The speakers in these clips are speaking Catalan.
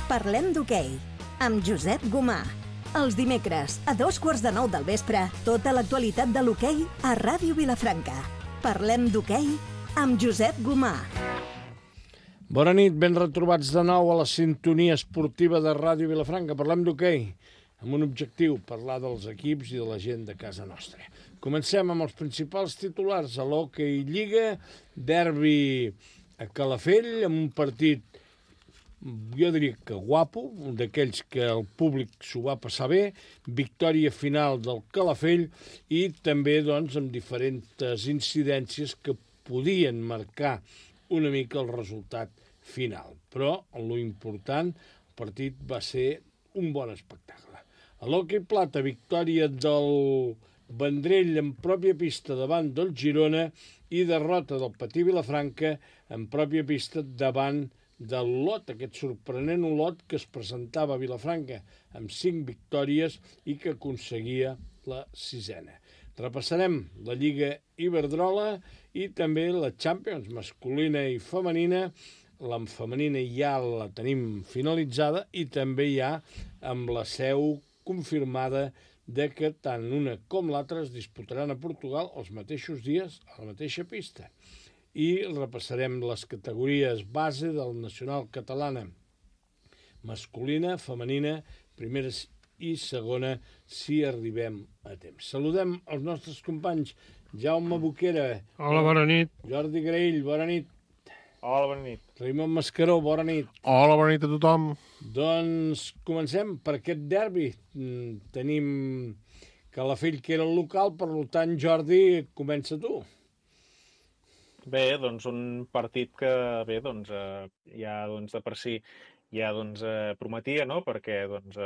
Parlem d'hoquei, amb Josep Gomà. Els dimecres, a 8:45 del vespre, tota l'actualitat de l'hoquei a Ràdio Vilafranca. Parlem d'hoquei amb Josep Gomà. Bona nit, ben retrobats de nou a la sintonia esportiva de Ràdio Vilafranca. Parlem d'hoquei, amb un objectiu, parlar dels equips i de la gent de casa nostra. Comencem amb els principals titulars a l'Hockey Lliga, derbi a Calafell, amb un partit, jo diria que guapo, d'aquells que el públic s'ho va passar bé, victòria final del Calafell i també doncs, amb diferents incidències que podien marcar una mica el resultat final. Però lo important, el partit va ser un bon espectacle. A l'Hockey Plata, victòria del Vendrell en pròpia pista davant del Girona i derrota del Patí Vilafranca en pròpia pista davant del Olot, aquest sorprenent Olot que es presentava a Vilafranca amb 5 victòries i que aconseguia la 6a. Repassarem la Lliga Iberdrola i també la Champions masculina i femenina. La femenina ja la tenim finalitzada i també ja amb la seu confirmada de que tant una com l'altra es disputaran a Portugal els mateixos dies a la mateixa pista. I repassarem les categories base del Nacional Catalana masculina, femenina, primera i segona, si arribem a temps. Saludem els nostres companys. Jaume Boquera. Hola, bona nit. Jordi Graell, bona nit. Hola, bona nit. Raimon Mascaró, bona nit. Hola, bona nit a tothom. Doncs comencem per aquest derbi. Tenim Calafell, que era el local, per tant, Jordi, comença tu. Bé, doncs un partit que bé, doncs, ja doncs, de per si ja doncs, prometia, no? Perquè doncs,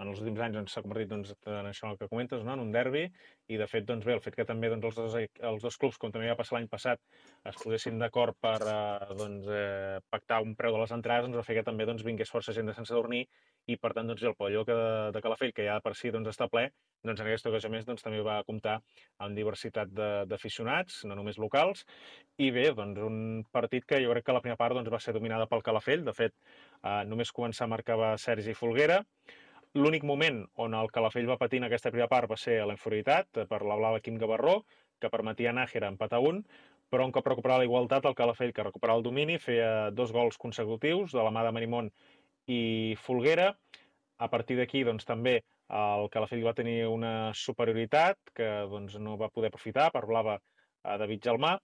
en els últims anys s'ha convertit doncs, en això que comentes, no? En un derbi, i de fet doncs, bé, el fet que també doncs, els dos clubs, com també va passar l'any passat, es posessin d'acord per doncs, pactar un preu de les entrades, doncs, va fer que també doncs, vingués força gent de Sant Sadurní i per tant doncs, el pavelló de Calafell, que ja per si doncs, està ple, doncs, en aquesta ocasió més doncs, també va comptar amb diversitat d'aficionats, no només locals, i bé, doncs, un partit que jo crec que la primera part doncs, va ser dominada pel Calafell. De fet, només començar marcava Sergi Folguera. L'únic moment on el Calafell va patir en aquesta primera part va ser a la inferioritat per la blava Quim Gavarró, que permetia a Nájera empatar 1, però un cop recuperava la igualtat, el Calafell, que recuperava el domini, feia 2 gols consecutius de la mà de Marimón i Folguera. A partir d'aquí, doncs, també el Calafell va tenir una superioritat que doncs, no va poder aprofitar per blava a David Gelmà.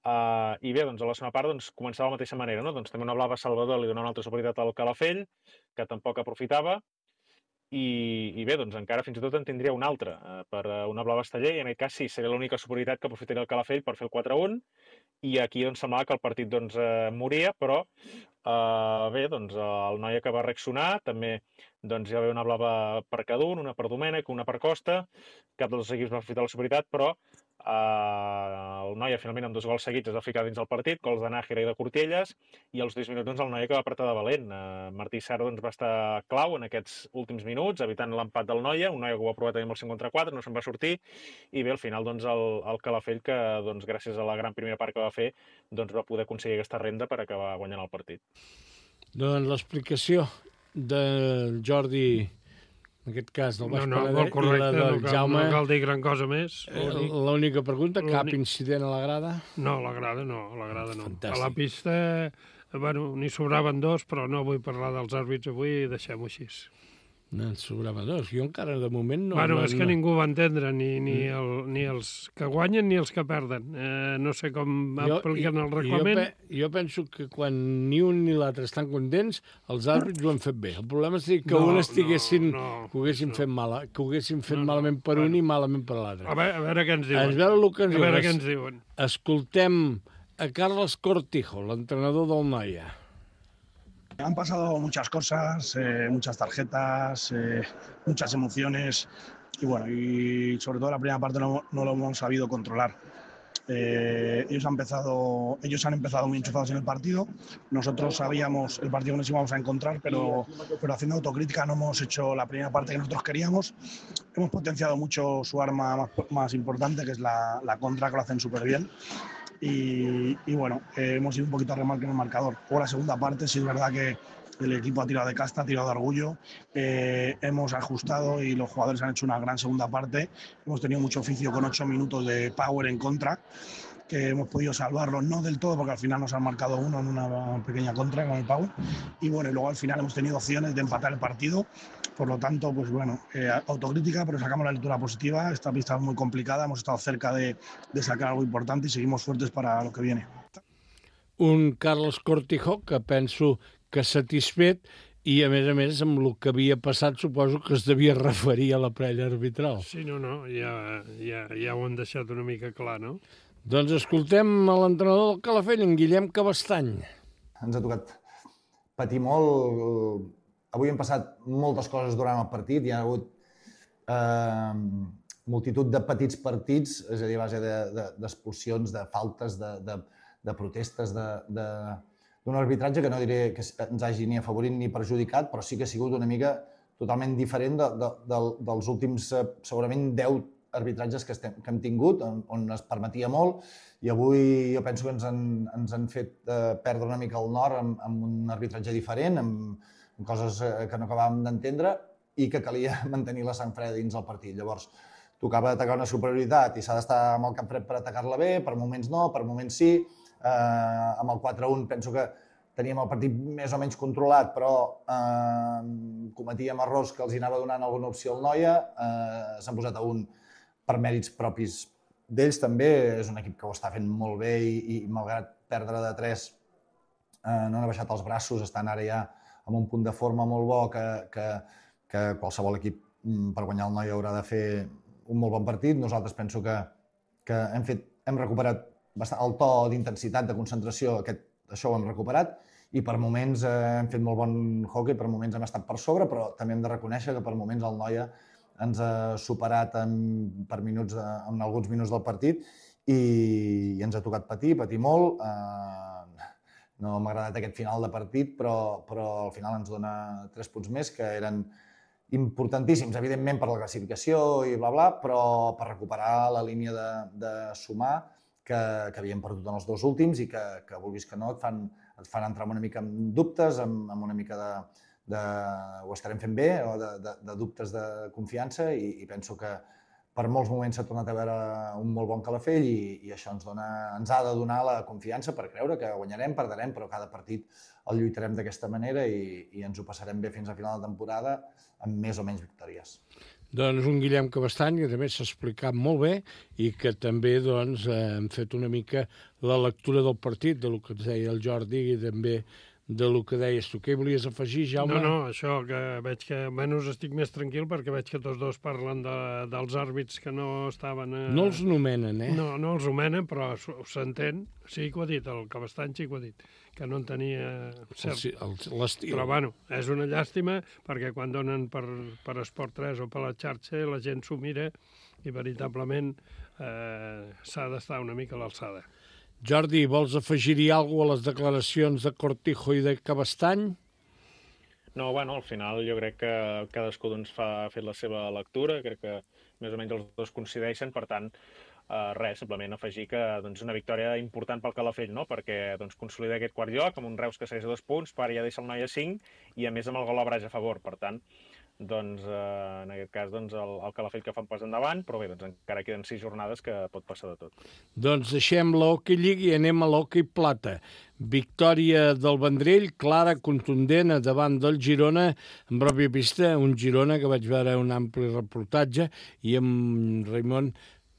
I bé, doncs, a la segona part doncs, començava de la mateixa manera, no? Doncs, també una blava Salvador li donava una altra superioritat al Calafell, que tampoc aprofitava. I bé, doncs encara fins i tot en tindria una altra per una blava Esteller, i en aquest cas sí, seria l'única superioritat que aprofitaria el Calafell per fer el 4-1, i aquí doncs, semblava que el partit doncs, moria, però bé, doncs, el Noia que va reaccionar, també doncs, hi va haver una blava per cada un, una per Domènech, una per Costa, cap dels equips va aprofitar la superioritat, però el Noia finalment amb 2 gols seguits es va ficar dins del partit, gols de Nájera i de Cortielles, i als 10 minuts doncs, el Noia que va apretar de valent. Martí Serra doncs, va estar clau en aquests últims minuts, evitant l'empat del Noia, un Noia que ho va provar també amb el 5 contra 4, no se'n va sortir, i bé, al final doncs, el Calafell, que doncs, gràcies a la gran primera part que va fer, doncs, va poder aconseguir aquesta renda per acabar guanyant el partit. Doncs l'explicació del Jordi, en aquest cas del Baix Penedès, i la del Jaume. No cal dir gran cosa més. L'única pregunta, cap incident a la grada? No, a la grada no. Fantàstic. A la pista, bueno, n'hi sobraven 2, però no vull parlar dels àrbits avui, deixem-ho així. No, en sobrava 2. Jo encara de moment no... Bueno, és que ningú va entendre, ni els que guanyen ni els que perden. No sé com apliquen el reglament. Jo penso que quan ni un ni l'altre estan contents, els àrbits ho han fet bé. El problema és que un estiguessin... que ho haguessin fet malament per un i malament per l'altre. A veure què ens diuen. A veure què ens diuen. Escoltem a Carles Cortijo, l'entrenador del Noia. Han pasado muchas cosas, muchas tarjetas, muchas emociones y bueno, y sobre todo la primera parte no lo hemos sabido controlar. Ellos han empezado muy enchufados en el partido. Nosotros sabíamos el partido que nos íbamos a encontrar, pero haciendo autocrítica no hemos hecho la primera parte que nosotros queríamos. Hemos potenciado mucho su arma más importante, que es la contra, que lo hacen súper bien. Y bueno, hemos ido un poquito a remolque en el marcador. Luego la segunda parte sí es verdad que el equipo ha tirado de casta, ha tirado de orgullo, hemos ajustado y los jugadores han hecho una gran segunda parte. Hemos tenido mucho oficio con 8 minutos de power en contra, que hemos podido salvarlo, no del todo, porque al final nos han marcado uno en una pequeña contra con el power. Y bueno, y luego al final hemos tenido opciones de empatar el partido. Por lo tanto, pues bueno, autocrítica, pero sacamos la lectura positiva. Esta pista es muy complicada, hemos estado cerca de sacar algo importante y seguimos fuertes para lo que viene. Un Carlos Cortijo que penso que satisfet i, a més, amb el que havia passat, suposo que es devia referir a la prèvia arbitral. Sí, no, ja ho han deixat una mica clar, no? Doncs escoltem a l'entrenador del Calafell, en Guillem Cabestany. Ens ha tocat patir molt. Avui han passat moltes coses durant el partit. Hi ha hagut multitud de petits partits, és a dir, a base d'expulsions, de faltes, de protestes, d'un arbitratge que no diré que ens hagi ni afavorit ni perjudicat, però sí que ha sigut una mica totalment diferent dels últims, segurament, 10 arbitratges que hem tingut, on es permetia molt, i avui jo penso que ens han fet perdre una mica el nord amb un arbitratge diferent, amb coses que no acabàvem d'entendre i que calia mantenir la sang freda dins el partit. Llavors, tocava atacar una superioritat i s'ha d'estar amb el cap fred per atacar-la bé, per moments no, per moments sí. Amb el 4-1 penso que teníem el partit més o menys controlat, però cometíem errors que els anava donant alguna opció al Noia. S'han posat a un per mèrits propis d'ells també. És un equip que ho està fent molt bé i malgrat perdre de 3 no han baixat els braços, estan ara ja amb un punt de forma molt bo que qualsevol equip per guanyar el Noia haurà de fer un molt bon partit. Nosaltres penso que hem recuperat bastant el to d'intensitat, de concentració, això ho hem recuperat, i per moments hem fet molt bon hoquei, per moments hem estat per sobre, però també hem de reconèixer que per moments el Noia ens ha superat en alguns minuts del partit i ens ha tocat patir molt. No m'ha agradat aquest final de partit, però al final ens dona 3 punts més, que eren importantíssims, evidentment, per la classificació i bla, però per recuperar la línia de sumar que havíem perdut en els 2 últims i que vulguis que no, et fan entrar una mica en dubtes, amb una mica ho estarem fent bé, o de dubtes de confiança, i penso que per molts moments s'ha tornat a veure un molt bon Calafell i això ens ha de donar la confiança per creure que guanyarem, perdrem, però cada partit el lluitarem d'aquesta manera i ens ho passarem bé fins a final de temporada amb més o menys victòries. Doncs un Guillem Cabestany que també s'ha explicat molt bé i que també hem fet una mica la lectura del partit, del que ens deia el Jordi i també del que deies tu. Què hi volies afegir, Jaume? No, això, que veig que menys estic més tranquil perquè veig que tots dos parlen dels àrbits que no estaven... No els nomenen, eh? No els nomenen, però s'entén. Sí que ho ha dit, el Cabestany sí que ho ha dit, que no en tenia cert. L'estil. Però, bueno, és una llàstima perquè quan donen per Esport 3 o per la xarxa la gent s'ho mira i veritablement s'ha d'estar una mica a l'alçada. Jordi, vols afegir-hi alguna cosa a les declaracions de Cortijo i de Cabestany? No, bueno, al final jo crec que cadascú ha fet la seva lectura, crec que més o menys els dos coincideixen, per tant, res, simplement afegir que és una victòria important pel Calafell, no? Perquè consolida aquest quart lloc amb un Reus que segueix a 2 punts, però ja deixa el Noia 5 i a més amb el gol a Braga a favor, per tant, en aquest cas el Calafell que fa un pas endavant, però bé, encara queden 6 jornades que pot passar de tot. Doncs deixem l'Hockey League i anem a l'Hockey Plata. Victòria del Vendrell, clara, contundent, davant del Girona, en pròpia pista, un Girona que vaig veure un ampli reportatge, i amb Raimon,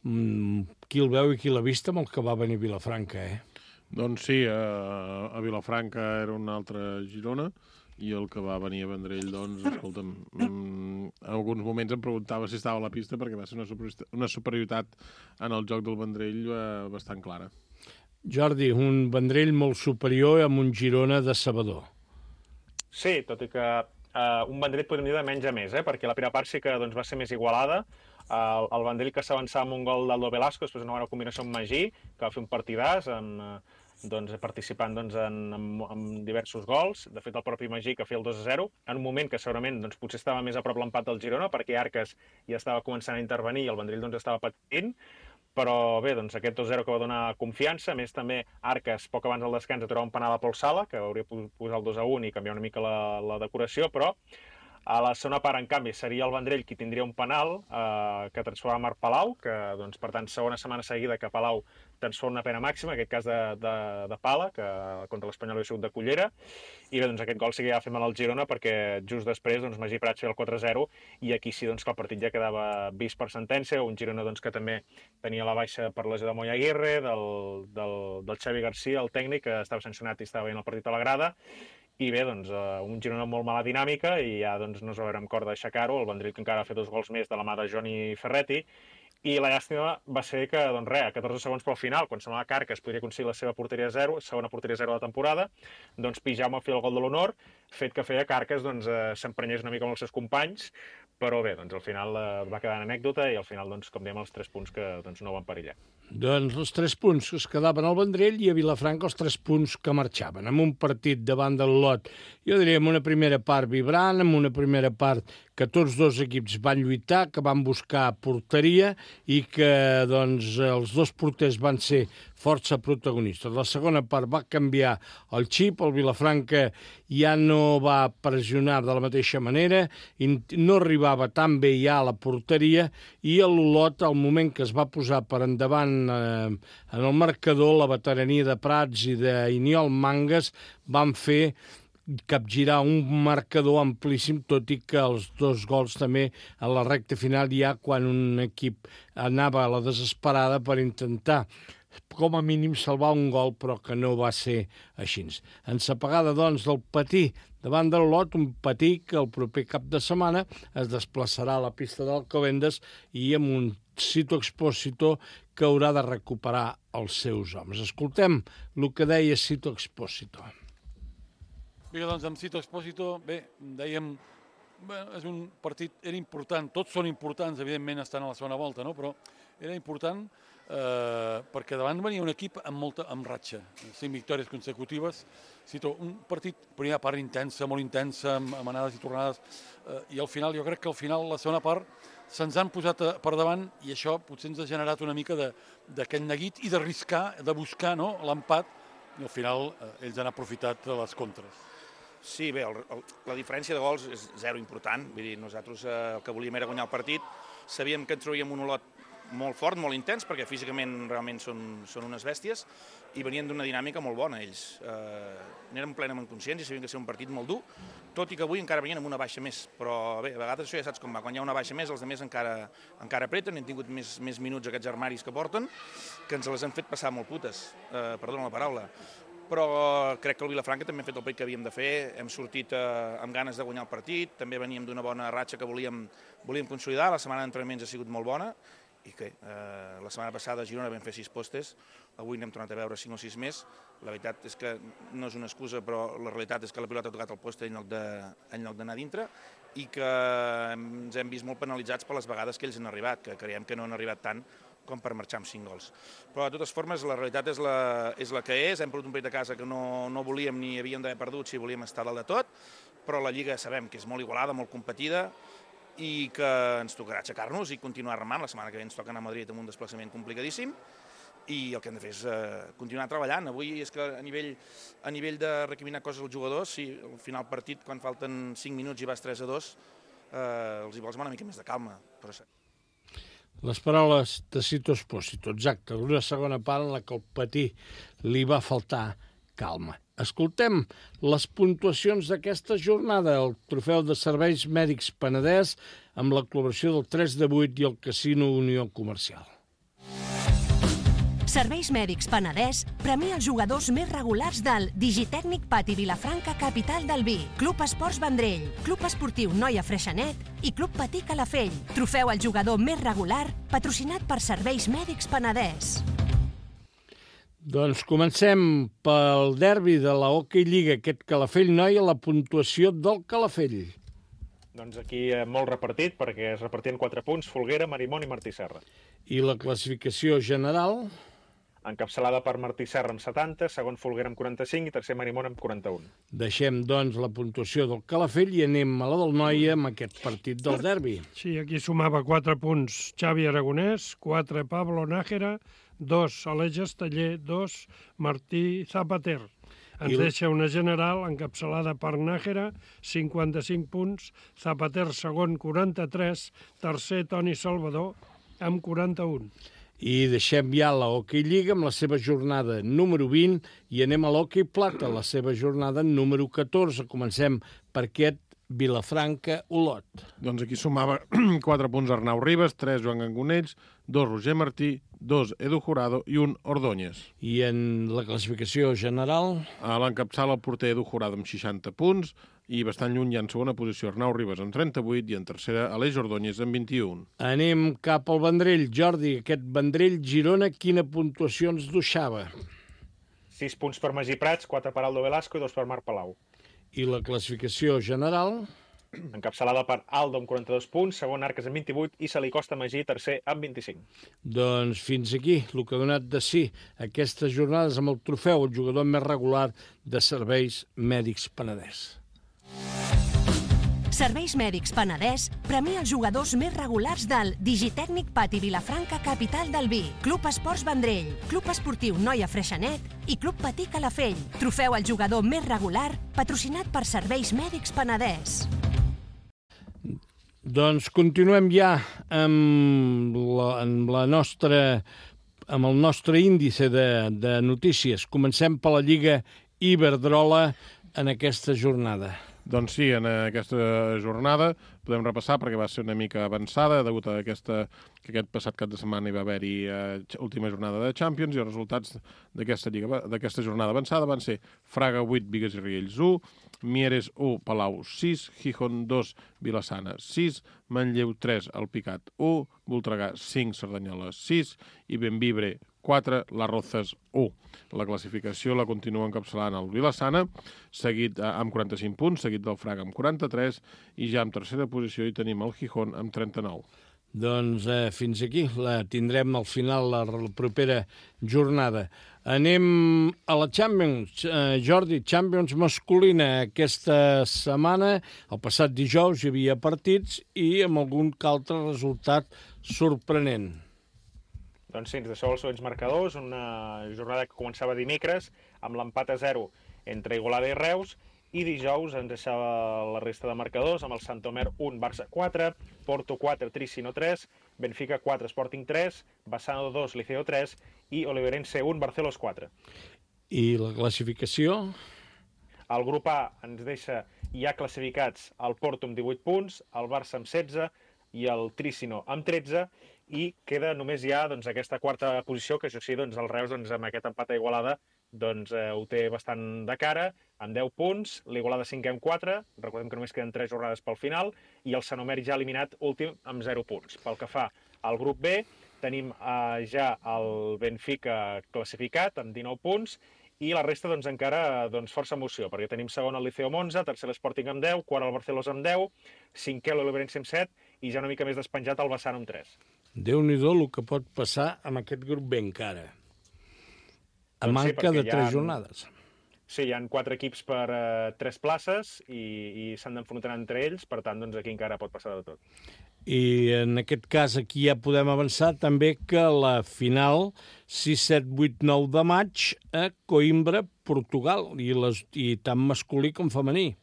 qui el veu i qui l'ha vist amb el que va venir a Vilafranca, eh? Doncs sí, a Vilafranca era un altre Girona, i el que va venir a Vendrell, doncs, escolta'm, en alguns moments em preguntava si estava a la pista perquè va ser una superioritat en el joc del Vendrell bastant clara. Jordi, un Vendrell molt superior amb un Girona decebedor. Sí, tot i que un Vendrell podríem dir de menys a més, perquè la primera part sí que va ser més igualada. El Vendrell que s'avançava amb un gol d'Aldo Velasco, després una bona combinació amb Magí, que va fer un partidàs, participant en diversos gols. De fet, el propi Magí que feia el 2-0, en un moment que segurament potser estava més a prop l'empat del Girona, perquè Arques ja estava començant a intervenir i el Vendrell estava patint, però bé, doncs aquest 2-0 que va donar confiança, a més també Arques, poc abans del descans, aturava un penal a Pol Sala, que hauria posat el 2-1 i canviar una mica la decoració, però a la segona part, en canvi, seria el Vendrell qui tindria un penal que transformava Marc Palau, que, doncs, per tant, segona setmana seguida que Palau transforma una pena màxima, en aquest cas de pala, que contra l'Espanyol havia sigut de Cullera, i bé, doncs aquest gol sí que ja va fer mal al Girona, perquè just després, doncs, Magí Prats feia el 4-0, i aquí sí, doncs, que el partit ja quedava vist per sentència, un Girona, doncs, que també tenia la baixa per lesió de Moya Aguirre, del Xavi García, el tècnic, que estava sancionat i estava veient el partit a la grada, i bé, doncs, un Girona amb molt mala dinàmica i ja doncs, no es va veure amb cor d'aixecar-ho, el Vendrell que encara va fer 2 gols més de la mà de Johnny Ferretti, i la llàstima va ser que, doncs res, a 14 segons pel final, quan semblava que Arques podria aconseguir la seva porteria 0, segona porteria 0 de la temporada, doncs Pijama feia el gol de l'honor, fet que feia que Arques doncs, s'emprenyés una mica amb els seus companys, però bé, doncs al final va quedar en anècdota i al final, doncs, com dèiem, els 3 punts que doncs, no van perillar. Doncs els 3 punts que es quedaven al Vendrell i a Vilafranca els 3 punts que marxaven, amb un partit davant del Lot, jo diria, amb una primera part vibrant, amb una primera part que tots 2 equips van lluitar, que van buscar porteria i que doncs, els 2 porters van ser força protagonistes. La segona part va canviar el xip, el Vilafranca ja no va pressionar de la mateixa manera, no arribava tan bé ja a la porteria i l'Olot, al moment que es va posar per endavant en el marcador, la veterania de Prats i d'Iniol Mangas van fer capgirar un marcador amplíssim, tot i que els 2 gols també a la recta final ja quan un equip anava a la desesperada per intentar com a mínim salvar un gol, però que no va ser així. Ensapegada, doncs, del Patí davant del Lot, un Patí que el proper cap de setmana es desplaçarà a la pista d'Alcobendas i amb un Sito Expósito que haurà de recuperar els seus homes. Escoltem el que deia Sito Expósito. Bé, doncs amb Sito Expósito, bé, dèiem, és un partit, era important, tots són importants, evidentment estan a la segona volta, no? Però era important perquè davant venia un equip amb ratxa, 5 victòries consecutives, Sito, un partit, primera part intensa, molt intensa, amb anades i tornades, i al final, jo crec que al final, la segona part, se'ns han posat per davant i això potser ens ha generat una mica d'aquest neguit i d'arriscar, de buscar, no?, l'empat, i al final ells han aprofitat les contres. Sí, bé, la diferència de gols és 0 important, vull dir, nosaltres el que volíem era guanyar el partit, sabíem que ens trauríem un Olot molt fort, molt intens, perquè físicament realment són unes bèsties, i venien d'una dinàmica molt bona ells. N'érem plenament conscients i sabien que ser un partit molt dur, tot i que avui encara venien amb una baixa més, però bé, a vegades això ja saps com va, quan hi ha una baixa més els altres encara apreten, han tingut més minuts aquests armaris que porten, que ens les han fet passar molt putes, perdona la paraula. Però crec que el Vilafranca també ha fet el partit que havíem de fer, hem sortit amb ganes de guanyar el partit, també veníem d'una bona ratxa que volíem consolidar, la setmana d'entrenaments ha sigut molt bona, i que la setmana passada a Girona vam fer 6 postes, avui n'hem tornat a veure 5 o 6 més, la veritat és que no és una excusa, però la realitat és que la pilota ha tocat el poste en lloc d'anar dintre, i que ens hem vist molt penalitzats per les vegades que ells han arribat, que creiem que no han arribat tant com per marxar amb 5 gols. Però de totes formes la realitat és la que és, hem perdut un partit a casa que no volíem ni havíem d'haver perdut si volíem estar dalt de tot, però la Lliga sabem que és molt igualada, molt competida, i que ens tocarà aixecar-nos i continuar remant. La setmana que ve ens toca anar a Madrid amb un desplaçament complicadíssim i el que hem de fer és continuar treballant. Avui és que a nivell de recriminar coses als jugadors, si al final partit, quan falten 5 minuts i vas 3-2, els hi vols una mica més de calma. Però... Les paraules de Sito Expósito, exacte, una segona part en la que el Patí li va faltar calma. Escoltem les puntuacions d'aquesta jornada, el trofeu de serveis mèdics Penedès amb la col·laboració del 3 de 8 i el Casino Unió Comercial. Serveis Mèdics Penedès premia els jugadors més regulars del Digitècnic Pati Vilafranca, capital del vi, Club Esports Vendrell, Club Esportiu Noia Freixenet i Club Patí Calafell. Trofeu al jugador més regular, patrocinat per Serveis Mèdics Penedès. Doncs comencem pel derbi de la Hockey Lliga, aquest Calafell-Noia, la puntuació del Calafell. Doncs aquí molt repartit, perquè es repartien 4 punts, Folguera, Marimón i Martí Serra. I la classificació general? encapçalada per Martí Serra amb 70, segon Folguera amb 45 i tercer Marimón amb 41. Deixem, doncs, la puntuació del Calafell i anem a la del Noia amb aquest partit del derbi. Sí, aquí sumava 4 punts Xavi Aragonès, 4 Pablo Nájera, 2 Aleix Esteller, 2 Martí Zapater. Ens deixa una general encapçalada per Nájera, 55 punts, Zapater segon, 43, tercer Toni Salvador amb 41. I deixem ja la Hockey Lliga amb la seva jornada número 20 i anem a l'Hockey Plata, la seva jornada número 14. Comencem per aquest Vilafranca-Olot. Doncs aquí sumava 4 punts Arnau Ribas, 3 Joan Gangonells, 2 Roger Martí, 2 Edu Jurado i 1 Ordóñez. I en la classificació general? A l'encapçala el porter Edu Jurado amb 60 punts i bastant lluny hi ha en segona posició Arnau Ribas amb 38 i en tercera Aleix Ordóñez amb 21. Anem cap al Vendrell. Jordi, aquest Vendrell-Girona, quina puntuació ens deixava? 6 punts per Magí Prats, 4 per Aldo Velasco i 2 per Marc Palau. I la classificació general? Encapçalada per Aldo amb 42 punts, segon Arques amb 28 i se li costa Magí, tercer amb 25. Doncs fins aquí el que ha donat de si aquestes jornades amb el trofeu, el jugador més regular de Serveis Mèdics Penedès. Serveis Mèdics Penedès premia els jugadors més regulars del Digitècnic Pati Vilafranca, capital del vi, Club Esports Vendrell, Club Esportiu Noia Freixenet i Club Patí Calafell. Trofeu al jugador més regular, patrocinat per Serveis Mèdics Penedès. Doncs continuem ja amb el nostre índice de notícies. Comencem per la Lliga Iberdrola en aquesta jornada. Doncs sí, en aquesta jornada podem repassar perquè va ser una mica avançada degut a que aquest passat cap de setmana hi va haver-hi última jornada de Champions i els resultats d'aquesta jornada avançada van ser Fraga 8, Bigues i Riells 1, Mieres 1, Palau 6, Gijón 2, Vilassana 6, Manlleu 3, Alpicat 1, Voltregà 5, Cerdanyola 6 i Benvibre 4, Las Rozas 1. La classificació la continua encapçalant el Vilassana, seguit amb 45 punts, seguit del Fraga amb 43, i ja en tercera posició hi tenim el Gijón amb 39. Doncs fins aquí, la tindrem al final la propera jornada. Anem a la Champions. Jordi, Champions masculina aquesta setmana. El passat dijous hi havia partits i amb algun altre resultat sorprenent. Doncs sí, ens deixeu els següents marcadors, una jornada que començava dimecres amb l'empat a 0 entre Igualada i Reus, i dijous ens deixava la resta de marcadors amb el Santomer 1, Barça 4, Porto 4, Tricino 3, Benfica 4, Sporting 3, Bassano 2, Liceo 3 i Oliverense 1, Barcelos 4. I la classificació? El grup A ens deixa ja classificats el Porto amb 18 punts, el Barça amb 16 i el Tricino amb 13, i queda només ja aquesta quarta posició, que això sí, el Reus amb aquest empat a Igualada ho té bastant de cara, amb 10 punts, l'Igualada 5 amb 4, recordem que només queden 3 jornades pel final, i el Sanomer ja eliminat últim amb 0 punts. Pel que fa al grup B, tenim ja el Benfica classificat amb 19 punts, i la resta encara força emoció, perquè tenim segon el Liceo amb 11, tercer l'Sporting amb 10, quart el Barcelos amb 10, cinquè l'Oliverense amb 7 i ja una mica més despenjat el Bassano amb 3. Déu-n'hi-do el que pot passar amb aquest grup B encara. A manca de 3 jornades. Sí, hi ha 4 equips per 3 places i s'han d'enfrontar entre ells, per tant, aquí encara pot passar de tot. I en aquest cas aquí ja podem avançar també que la final 6, 7, 8, 9 de maig a Coimbra, Portugal, i tant masculí com femení.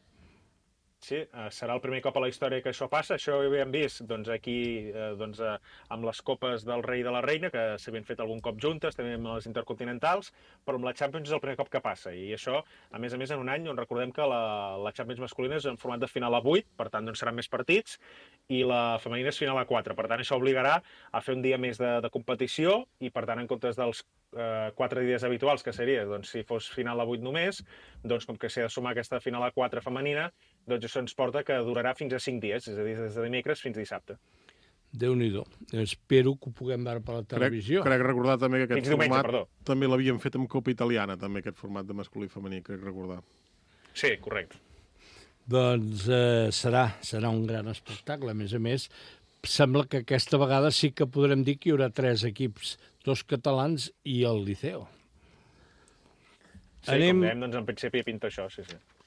Sí, serà el primer cop a la història que això passa. Això ho havíem vist aquí amb les copes del rei i de la reina, que s'havien fet algun cop juntes, també amb les intercontinentals, però amb la Champions és el primer cop que passa. I això, a més, en un any on recordem que la Champions masculina és en format de final a 8, per tant, seran més partits, i la femenina és final a 4. Per tant, això obligarà a fer un dia més de competició i, per tant, en comptes dels 4 dies habituals, que seria, si fos final a 8 només, com que s'ha de sumar aquesta final a 4 femenina, això ens porta que durarà fins a 5 dies, és a dir, des de dimecres fins a dissabte. Déu-n'hi-do. Espero que ho puguem veure per la televisió. Crec recordar també que aquest format també l'havíem fet amb Copa Italiana, també aquest format de masculí i femení, crec recordar. Sí, correcte. Doncs serà un gran espectacle, a més, sembla que aquesta vegada sí que podrem dir que hi haurà 3 equips, 2 catalans i el Liceo. Sí, com dèiem, doncs en principi pinta això, sí.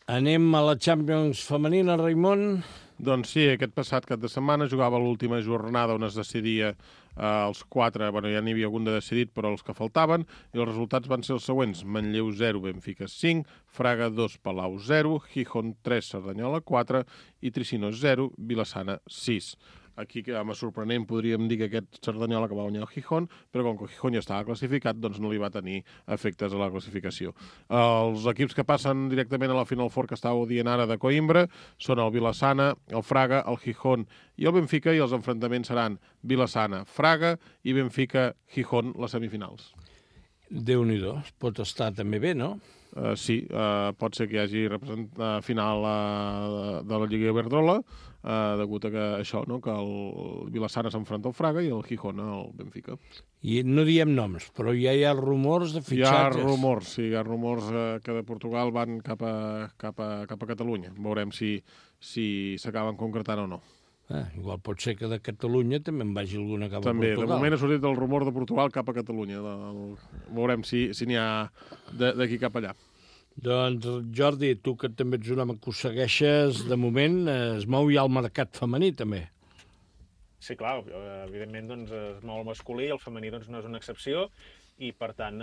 Anem a la Champions femenina, Raimon. Doncs sí, aquest passat cap de setmana jugava l'última jornada on es decidia els 4, ja n'hi havia algun de decidit, però els que faltaven, i els resultats van ser els següents: Manlleu 0, Benfica 5, Fraga 2, Palau 0, Gijón 3, Cerdanyola 4 i Tricinos 0, Vilassana 6. Aquí, amb sorprenent, podríem dir que aquest Cerdanyola que va guanyar el Gijón, però com que el Gijón ja estava classificat, doncs no li va tenir efectes a la classificació. Els equips que passen directament a la Final Four, que estàveu dient ara de Coimbra, són el Vilassana, el Fraga, el Gijón i el Benfica, i els enfrontaments seran Vilassana, Fraga i Benfica-Gijón, les semifinals. Déu-n'hi-do, pot estar també bé, no? Sí, pot ser que hi hagi final de la Lliga Iberdrola, degut a que això, no? Que el Vilassana s'enfronta al Fraga i el Gijón al Benfica. I no diem noms, però ja hi ha rumors de fitxatges. Hi ha rumors que de Portugal van cap a Catalunya. Veurem si s'acaben concretant o no. Igual pot ser que de Catalunya també en vagi alguna cap a Portugal. També, de moment ha sortit el rumor de Portugal cap a Catalunya. Veurem si n'hi ha d'aquí cap allà. Doncs, Jordi, tu que també ets un home que ho segueixes, de moment es mou ja el mercat femení, també. Sí, clar, evidentment doncs, es mou el masculí, el femení doncs, no és una excepció, i per tant,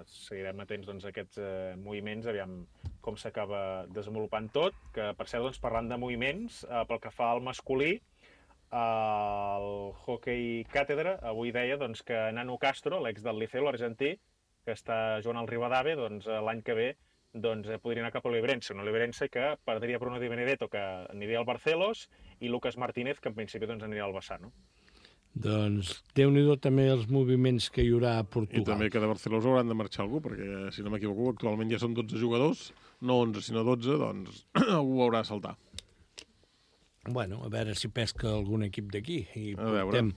seguirem atents a aquests moviments, aviam com s'acaba desenvolupant tot, que per cert, parlant de moviments, pel que fa al masculí, el hoquei càtedra avui deia que Nano Castro, l'ex del Liceu, l'argentí, que està jugant al Rivadavia, l'any que ve podria anar cap a l'Oliveirense. Un Oliveirense que perdria Bruno Di Benedetto, que aniria al Barcelos, i Lucas Martínez, que en principi aniria al Bassano. Doncs Déu-n'hi-do també els moviments que hi haurà a Portugal. I també que de Barcelona hauran de marxar algú, perquè, si no m'equivoco, actualment ja són 12 jugadors, no 11, sinó 12, doncs algú haurà de saltar. Bueno, a veure si pesca algun equip d'aquí i portem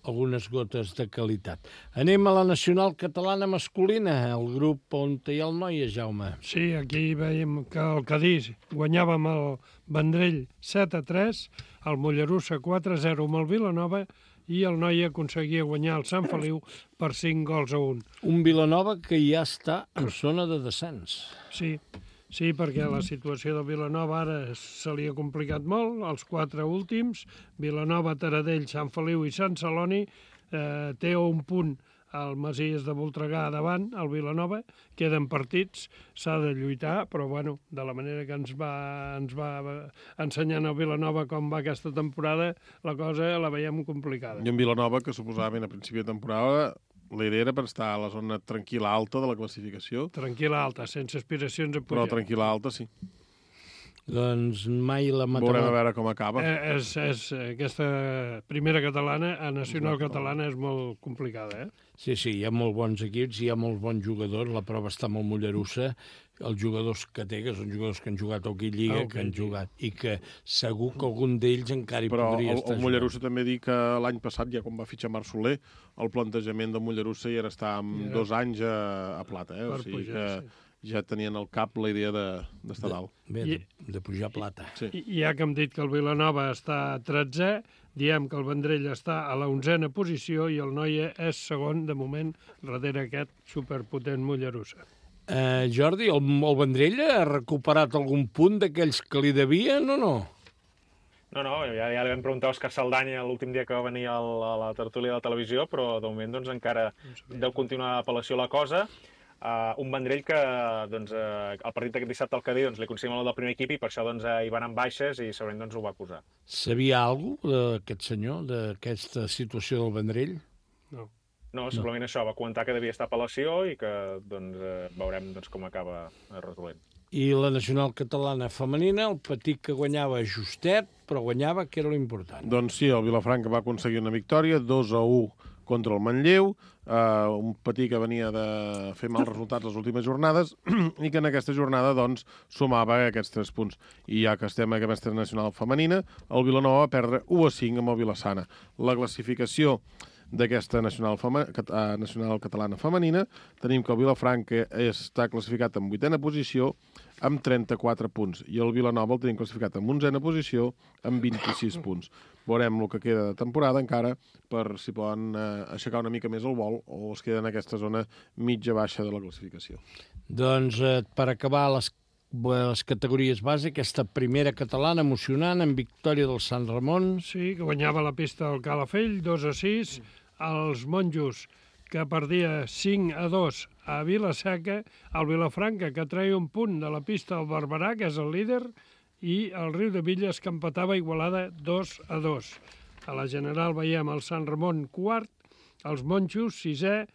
algunes gotes de qualitat. Anem a la nacional catalana masculina, el grup on hi ha el Noia, Jaume. Sí, aquí veiem que el Cadís guanyava amb el Vendrell 7-3, el Mollerussa 4-0 amb el Vilanova i el Noia aconseguia guanyar el Sant Feliu per 5-1. Un Vilanova que ja està en zona de descens. Sí, perquè la situació del Vilanova ara se li ha complicat molt. Els 4 últims, Vilanova, Taradell, Sant Feliu i Sant Celoni, té un punt al Masies de Voltregà davant, el Vilanova, queden partits, s'ha de lluitar, però bueno, de la manera que ens va ensenyant el Vilanova com va aquesta temporada, la cosa la veiem complicada. I en Vilanova, que suposadament a principi de temporada la idea era per estar a la zona tranquil·la alta de la classificació. Tranquil·la alta, sense aspiracions a pujar. Però tranquil·la alta, sí. Doncs mai la matarà. Veurem a veure com acaba. Aquesta primera catalana, a nacional catalana, és molt complicada, Sí, hi ha molt bons equips, hi ha molt bons jugadors, la prova està amb el Mollerussa, els jugadors que té, que són jugadors que han jugat a Hockey Lliga, que han jugat, i que segur que algun d'ells encara hi podria estar. Però el Mollerussa també dic que l'any passat, ja quan va fitxar Marc Soler, el plantejament del Mollerussa ja era estar amb 2 anys a plata, o sigui que ja tenien al cap la idea d'estar dalt. Bé, de pujar a plata. I ja que hem dit que el Vilanova està a 13è, diem que el Vendrell està a la 11a posició i el Noia és segon, de moment, darrere aquest superpotent Mollerussa. Jordi, el Vendrell ha recuperat algun punt d'aquells que li devien o no? No, ja li vam preguntar a Òscar Saldanya l'últim dia que va venir a la tertúlia de la televisió, però de moment encara deu continuar apel·lació la cosa. Un Vendrell que el partit d'aquest dissabte al Cadí li consigna el del primer equip i per això hi van amb baixes i segurament ho va acusar. Sabia alguna cosa d'aquest senyor, d'aquesta situació del Vendrell? No, simplement això, va comentar que devia estar a apel·lació i que veurem com acaba resolent. I la nacional catalana femenina, el Petit que guanyava justet, però guanyava, que era l'important. Doncs sí, el Vilafranca va aconseguir una victòria, 2-1 contra el Manlleu, un Petit que venia de fer mals resultats les últimes jornades i que en aquesta jornada sumava aquests 3 punts. I ja que estem a aquesta nacional femenina, el Vilanova va perdre 1-5 amb el Vilassana. La classificació d'aquesta nacional catalana femenina. Tenim que el Vilafranca està classificat en 8a posició amb 34 punts i el Vilanova el tenim classificat en 11a posició amb 26 punts. Veurem el que queda de temporada encara per si poden aixecar una mica més el vol o es queden en aquesta zona mitja-baixa de la classificació. Doncs per acabar les categories base, aquesta primera catalana emocionant amb victòria del Sant Ramon. Sí, que guanyava la pista del Calafell, 2-6. Els monjos, que perdia 5-2 a Vila-seca. El Vilafranca, que treia un punt de la pista del Barberà, que és el líder, i el Riudebitlles, que empatava Igualada 2-2. A la general veiem el Sant Ramon quart, els monjos 6è,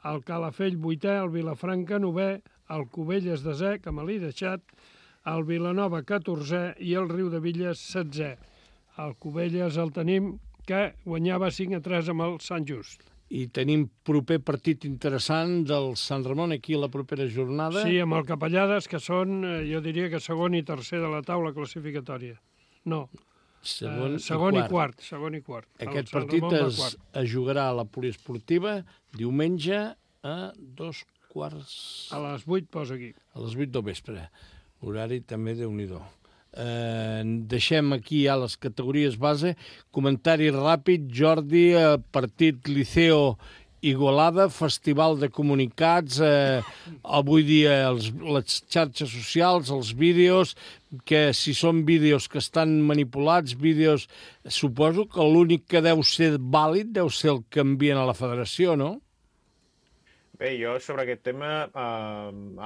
el Calafell 8è, el Vilafranca 9è, el Cubelles 10è, que me l'he deixat, el Vilanova 14è i el Riudebitlles 16è. El Cubelles el tenim que guanyava 5-3 amb el Sant Just. I tenim proper partit interessant del Sant Ramon aquí a la propera jornada. Sí, amb el Capellades, que són, jo diria que segon i tercer de la taula classificatòria. No, segon i quart. Aquest partit es jugarà a la poliesportiva diumenge a 2:15. A les 8 posa aquí. A les 8 del vespre. Horari també déu-n'hi-do. Deixem aquí ja les categories base. Comentari ràpid, Jordi, partit Liceo Igualada, festival de comunicats, avui dia les xarxes socials, els vídeos, que si són vídeos que estan manipulats, vídeos, suposo que l'únic que deu ser vàlid deu ser el que envien a la federació, no? Bé, jo sobre aquest tema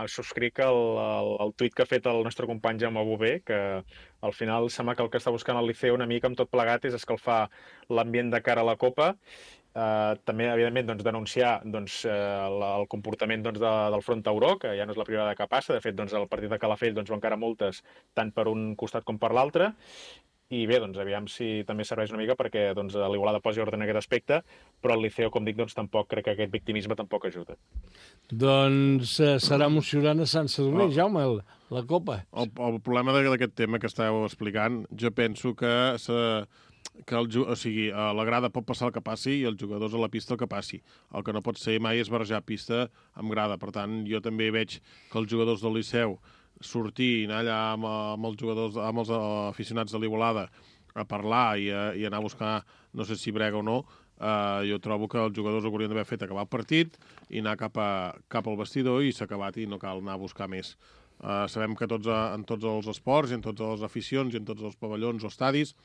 subscric el tuit que ha fet el nostre company Jaume Bové, que al final sembla que el que està buscant el Liceu una mica amb tot plegat és escalfar l'ambient de cara a la Copa. També, evidentment, denunciar el comportament del Front Tauró, que ja no és la primera que passa. De fet, el partit de Calafell va encara multes tant per un costat com per l'altre. I bé, aviam si també serveix una mica perquè l'Igualada posi ordre en aquest aspecte, però el Liceu, com dic, tampoc crec que aquest victimisme tampoc ajuda. Doncs serà emocionant a Sant Sadurní, Jaume, la Copa. El problema d'aquest tema que estàveu explicant, jo penso que a la grada pot passar el que passi i els jugadors a la pista el que passi. El que no pot ser mai és barrejar pista amb grada. Per tant, jo també veig que els jugadors del Liceu sortir i anar allà amb els jugadors, amb els aficionats de l'Igualada a parlar i anar a buscar, no sé si brega o no, jo trobo que els jugadors ho haurien d'haver fet acabar el partit i anar cap al vestidor i s'ha acabat i no cal anar a buscar més. Sabem que en tots els esports i en totes les aficions i en tots els pavellons o estadis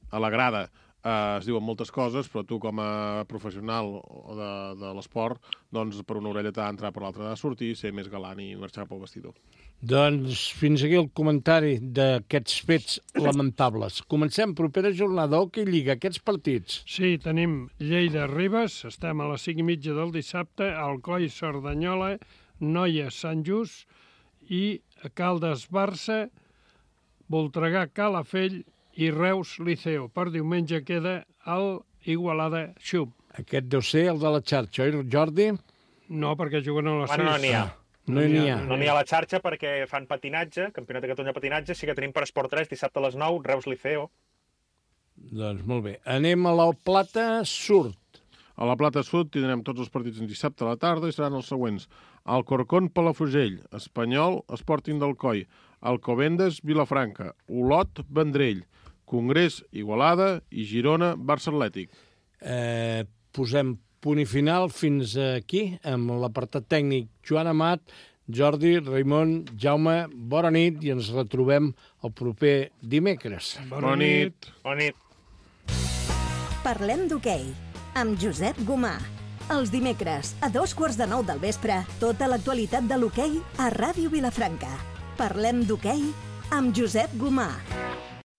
a la grada es diuen moltes coses, però tu com a professional de l'esport, doncs per una orella t'ha d'entrar, per l'altra t'ha de sortir, ser més galant i marxar pel vestidor. Doncs fins aquí el comentari d'aquests fets lamentables. Comencem, propera jornada, Hockey Lliga, aquests partits. Sí, tenim Lleida-Ribes, estem a les 5:30 del dissabte, Alcoi-Cerdanyola, Noia-Sant Just i Caldes-Barça, Voltregà-Calafell i Reus-Liceo. Per diumenge queda el Igualada-Xup. Aquest deu ser el de la xarxa, oi, Jordi? No, perquè juguen a les 6. No n'hi ha. No n'hi ha. No n'hi ha a la xarxa perquè fan patinatge, Campionat de Catalunya de patinatge, sí que tenim per Esport 3, dissabte a les 9, Reus-Liceo. Doncs molt bé. Anem a la Plata Sud. A la Plata Sud tindrem tots els partits en dissabte a la tarda i seran els següents. Alcorcón, Palafrugell, Espanyol, Sporting d'Alcoi, Alcobendas, Vilafranca, Olot, Vendrell, Congrés, Igualada i Girona, Barça Atlètic. Posem punt i final fins aquí, amb l'apartat tècnic Joan Amat, Jordi, Raimon, Jaume, bona nit i ens retrobem el proper dimecres. Bona nit. Bona nit. Parlem d'hoquei amb Josep Gomà. Els dimecres, a 9:15 del vespre, tota l'actualitat de l'hoquei a Ràdio Vilafranca. Parlem d'hoquei amb Josep Gomà.